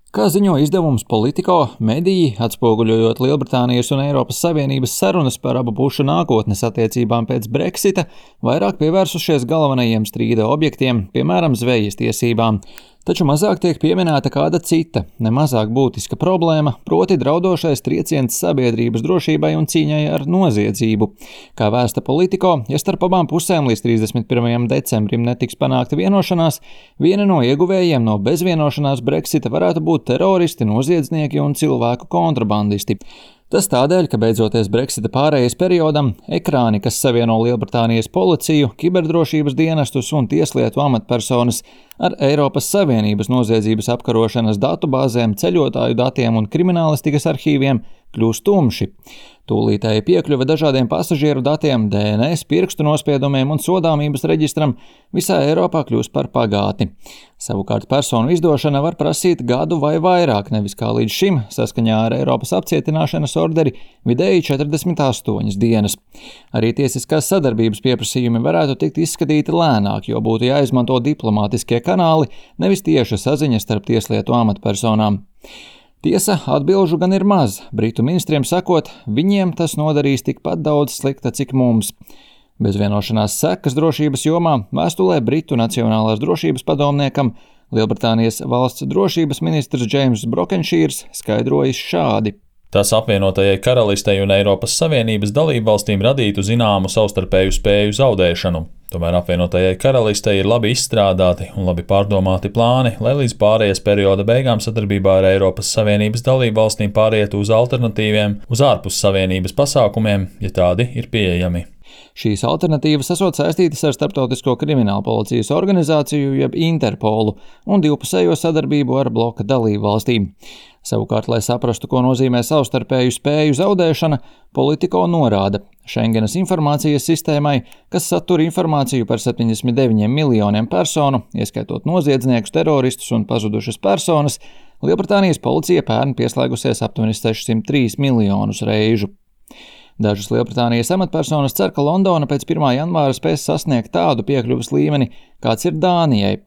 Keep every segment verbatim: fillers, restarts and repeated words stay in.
Kā ziņo izdevums Politico, mediji, atspoguļojot Lielbritānijas un Eiropas Savienības sarunas par abu pušu nākotnes attiecībām pēc Brexita, vairāk pievērsušies galvenajiem strīda objektiem, piemēram, zvejas tiesībām. Taču mazāk tiek pieminēta kāda cita, nemazāk būtiska problēma, proti draudošais trieciens sabiedrības drošībai un cīņai ar noziedzību. Kā vēsta Politico, ja starp abām pusēm līdz trīsdesmit pirmajam decembrim netiks panākta vienošanās, viena no ieguvējiem no bezvienošanās Brexita varētu būt teroristi, noziedznieki un cilvēku kontrabandisti. Tas tādēļ, ka beidzoties Brexita pārejas periodam, ekrāni, kas savieno Lielbritānijas policiju, kiberdrošības dienestus un tieslietu amatpersonas ar Eiropas Savienības noziedzības apkarošanas datubāzēm, ceļotāju datiem un kriminālistikas arhīviem, kļūst tumši. Tūlītēji piekļuve dažādiem pasažieru datiem, D N S, pirkstu nospiedumiem un sodāmības reģistram visā Eiropā kļūst par pagātni. Savukārt personu izdošana var prasīt gadu vai vairāk, nevis kā līdz šim, saskaņā ar Eiropas apcietināšanas orderi, vidēji četrdesmit astoņas dienas. Arī tiesiskās sadarbības pieprasījumi varētu tikt izskatīti lēnāk, jo būtu jāizmanto diplomātiskie kanāli, nevis tieša saziņa starp tieslietu amatpersonām. Tiesa, atbilžu gan ir maz. Britu ministriem sakot, viņiem tas nodarīs tikpat daudz slikta, cik mums. Bez vienošanās sekas drošības jomā vēstulē Britu Nacionālās drošības padomniekam Lielbritānijas valsts drošības ministrs Džeims Brokenšīrs skaidrojis šādi. Tas apvienotajai karalistei un Eiropas Savienības dalībvalstīm radītu zināmu savstarpēju spēju zaudēšanu. Tomēr apvienotajai karalistei ir labi izstrādāti un labi pārdomāti plāni, lai līdz pārejas perioda beigām sadarbībā ar Eiropas Savienības dalībvalstīm pārietu uz alternatīviem, uz ārpus Savienības pasākumiem, ja tādi ir pieejami. Šīs alternatīvas esot saistītas ar Starptautisko kriminālu policijas organizāciju jeb Interpolu un divpusējo sadarbību ar bloka dalībvalstīm. Savukārt, lai saprastu, ko nozīmē savstarpēju spēju zaudēšana, Politico norāda Schengenas informācijas sistēmai, kas satur informāciju par septiņdesmit deviņiem miljoniem personu, ieskaitot noziedzniekus, teroristus un pazudušas personas, Lielbritānijas policija pērn pieslēgusies aptuveni sešsimt trīs miljonus reižu. Dažas Lielbritānijas amatpersonas cer, ka Londona pēc pirmā janvāra spēs sasniegt tādu piekļuves līmeni, kāds ir Dānijai.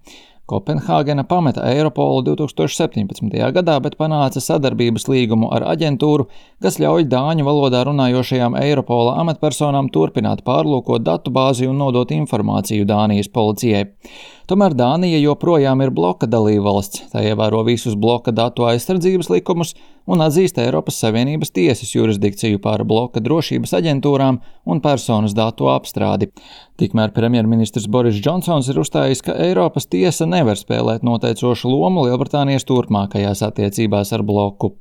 Kopenhāgena pameta Eiropolu divtūkstoš septiņpadsmitajā gadā, bet panāca sadarbības līgumu ar aģentūru, kas ļauj dāņu valodā runājošajām Eiropola amatpersonām turpināt pārlūkot datubāzi un nodot informāciju Dānijas policijai. Tomēr Dānija joprojām ir bloka dalībvalsts, tā ievēro visus bloka datu aizsardzības likumus un atzīst Eiropas Savienības tiesas jurisdikciju pār bloka drošības aģentūrām un personas datu apstrādi. Tikmēr premjerministrs Boris Džonsons ir uzstājis, ka Eiropas tiesa nevar spēlēt noteicošu lomu Lielbritānijas turpmākajās attiecībās ar bloku.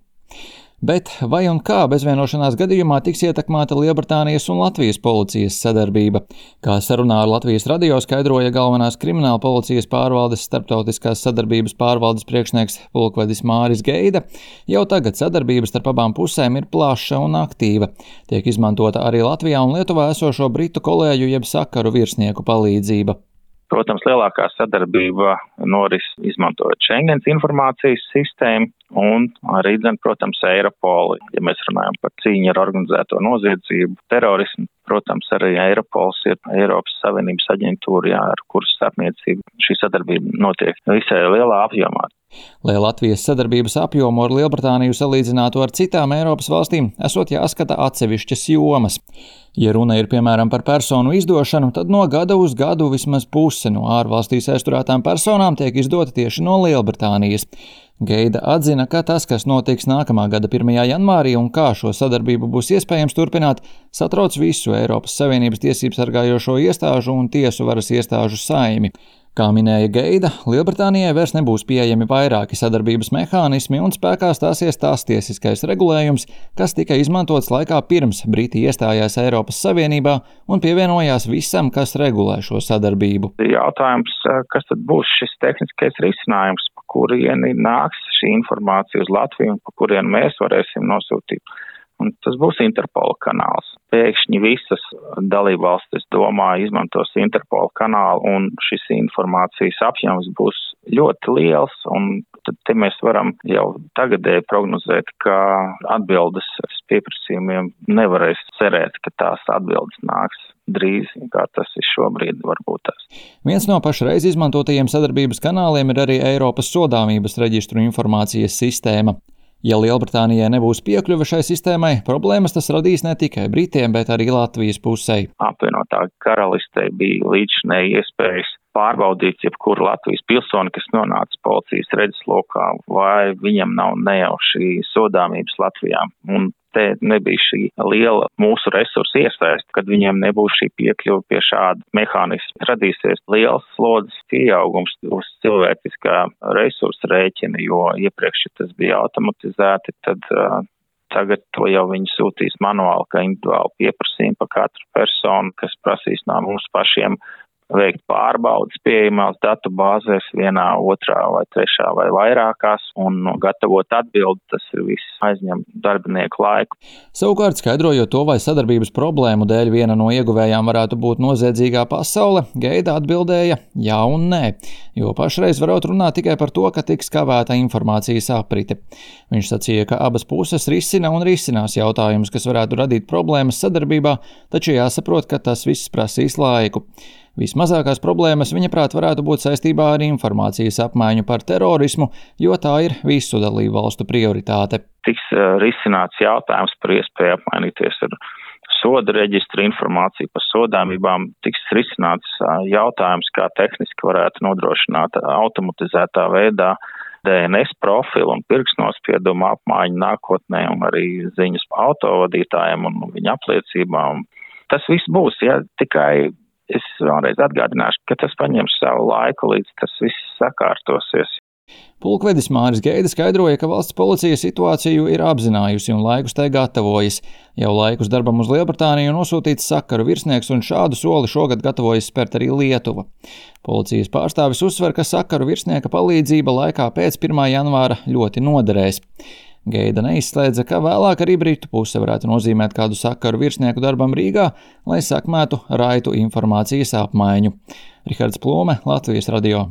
Bet vai un kā bezvienošanās gadījumā tiks ietekmēta Lielbritānijas un Latvijas policijas sadarbība? Kā sarunā ar Latvijas radio skaidroja galvenās krimināla policijas pārvaldes starptautiskās sadarbības pārvaldes priekšnieks pulkvedis Māris Geida, jau tagad sadarbības starp abām pusēm ir plaša un aktīva. Tiek izmantota arī Latvijā un Lietuvā esošo britu kolēģu jeb sakaru virsnieku palīdzība. Protams, lielākā sadarbība noris izmantojot Schengens informācijas sistēmu un arī, protams, Eiropolu. Ja mēs runājam par cīņu ar organizēto noziedzību, terorismu, protams, arī Eiropols ir Eiropas Savienības aģentūra, jā, ar kuras starpniecību šī sadarbība notiek visai lielā apjomā. Lai Latvijas sadarbības apjomu ar Lielbritāniju salīdzinātu ar citām Eiropas valstīm, esot jāskata atsevišķas jomas. Ja runa ir piemēram par personu izdošanu, tad no gada uz gadu vismaz puse no ārvalstīs aizturētām personām tiek izdota tieši no Lielbritānijas. Geida atzina, ka tas, kas notiks nākamā gada pirmajā janvārī un kā šo sadarbību būs iespējams turpināt, satrauc visu Eiropas Savienības tiesību sargājošo iestāžu un tiesu varas iestāžu saimi. Kā minēja Geida, Lielbritānijai vairs nebūs pieejami vairāki sadarbības mehānismi un spēkā stāsies tās tiesiskais regulējums, kas tika izmantots laikā pirms Briti iestājās Eiropas Savienībā un pievienojās visam, kas regulē šo sadarbību. Jautājums, kas tad būs šis tehniskais risinājums, pa kurieni nāks šī informācija uz Latviju un pa kurieni mēs varēsim nosūtīt. Un tas būs Interpola kanāls. Pēkšņi visas dalībvalstis, domāju, izmantos Interpola kanālu un šis informācijas apjoms būs ļoti liels, un tad te mēs varam jau tagadēji prognozēt, ka atbildes pieprasījumiem nevarēs cerēt, ka tās atbildes nāks drīz, kā tas ir šobrīd varbūt tās. Viens no pašreiz izmantotajiem sadarbības kanāliem ir arī Eiropas sodāmības reģistru informācijas sistēma. Ja Lielbritānijai nebūs piekļuve šai sistēmai, problēmas tas radīs ne tikai Britiem, bet arī Latvijas pusei. Apvienotā karalistei bija līdzinēji iespējas pārbaudīt jebkuru Latvijas pilsoni, kas nonāca policijas redzeslokā, vai viņam nav nejauši sodāmības Latvijā. Un te nebija šī liela mūsu resursu iesaist, kad viņiem nebūs šī piekļuva pie šāda mehānisma. Radīsies liels slodzes pieaugums uz cilvēciskā resursa rēķina, jo iepriekš, ja tas bija automatizēti, tad uh, tagad to jau viņi sūtīs manuāli, kā individuāli pieprasījumi par katru personu, kas prasīs no mums pašiem veikt pārbaudas pieejamās datu bāzēs vienā, otrā vai trešā vai vairākās un gatavot atbildi, tas ir viss aizņem darbinieku laiku. Savukārt, skaidrojot to, vai sadarbības problēmu dēļ viena no ieguvējām varētu būt noziedzīgā pasaule, Geida atbildēja jā un nē, jo pašreiz varot runāt tikai par to, ka tiks kavēta informācijas aprite. Viņš sacīja, ka abas puses risina un risinās jautājumus, kas varētu radīt problēmas sadarbībā, taču jāsaprot, ka tas viss prasīs laiku. Vismazākās problēmas, viņa prāt, varētu būt saistībā ar informācijas apmaiņu par terorismu, jo tā ir visu dalību valstu prioritāte. Tiks risināts jautājums par iespēju apmainīties ar soda reģistra informāciju par sodāmībām, tiks risināts jautājums, kā tehniski varētu nodrošināt automatizētā veidā D N S profilu un pirkstnospiedumu apmaiņu nākotnē un arī ziņas autovadītājiem un viņa apliecībām. Tas viss būs, ja tikai es vēlreiz atgādināšu, ka tas paņems savu laiku, līdz tas viss sakārtosies. Pulkvedis Māris Geida skaidroja, ka valsts policija situāciju ir apzinājusi un laikus tai gatavojas. Jau laikus darbam uz Lielbritāniju nosūtīts sakaru virsnieks un šādu soli šogad gatavojas spērt arī Lietuva. Policijas pārstāvis uzsver, ka sakaru virsnieka palīdzība laikā pēc pirmā janvāra ļoti noderēs. Geida neizslēdza, ka vēlāk arī Britu puse varētu nozīmēt kādu sakaru virsnieku darbam Rīgā, lai sakmētu raitu informācijas apmaiņu. Rihards Plome, Latvijas radio.